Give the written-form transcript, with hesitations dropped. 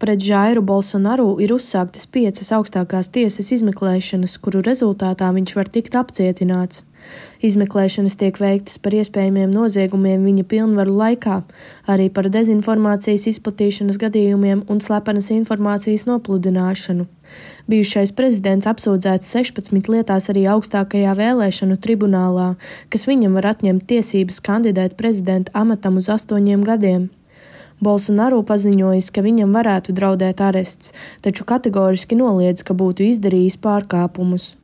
pret Jairu Bolsonaru ir uzsāktas 5 augstākās tiesas izmeklēšanas, kuru rezultātā viņš var tikt apcietināts. Izmeklēšanas tiek veiktas par iespējamiem noziegumiem viņa pilnvaru laikā, arī par dezinformācijas izplatīšanas gadījumiem un slepenas informācijas nopludināšanu. Bijušais prezidents apsūdzēts 16 lietās arī augstākajā vēlēšanu tribunālā, kas viņam var atņemt tiesības kandidēt prezidenta amatam uz 8 gadiem. Bolsonaru paziņojis, ka viņam varētu draudēt arests, taču kategoriski noliedz, ka būtu izdarījis pārkāpumus.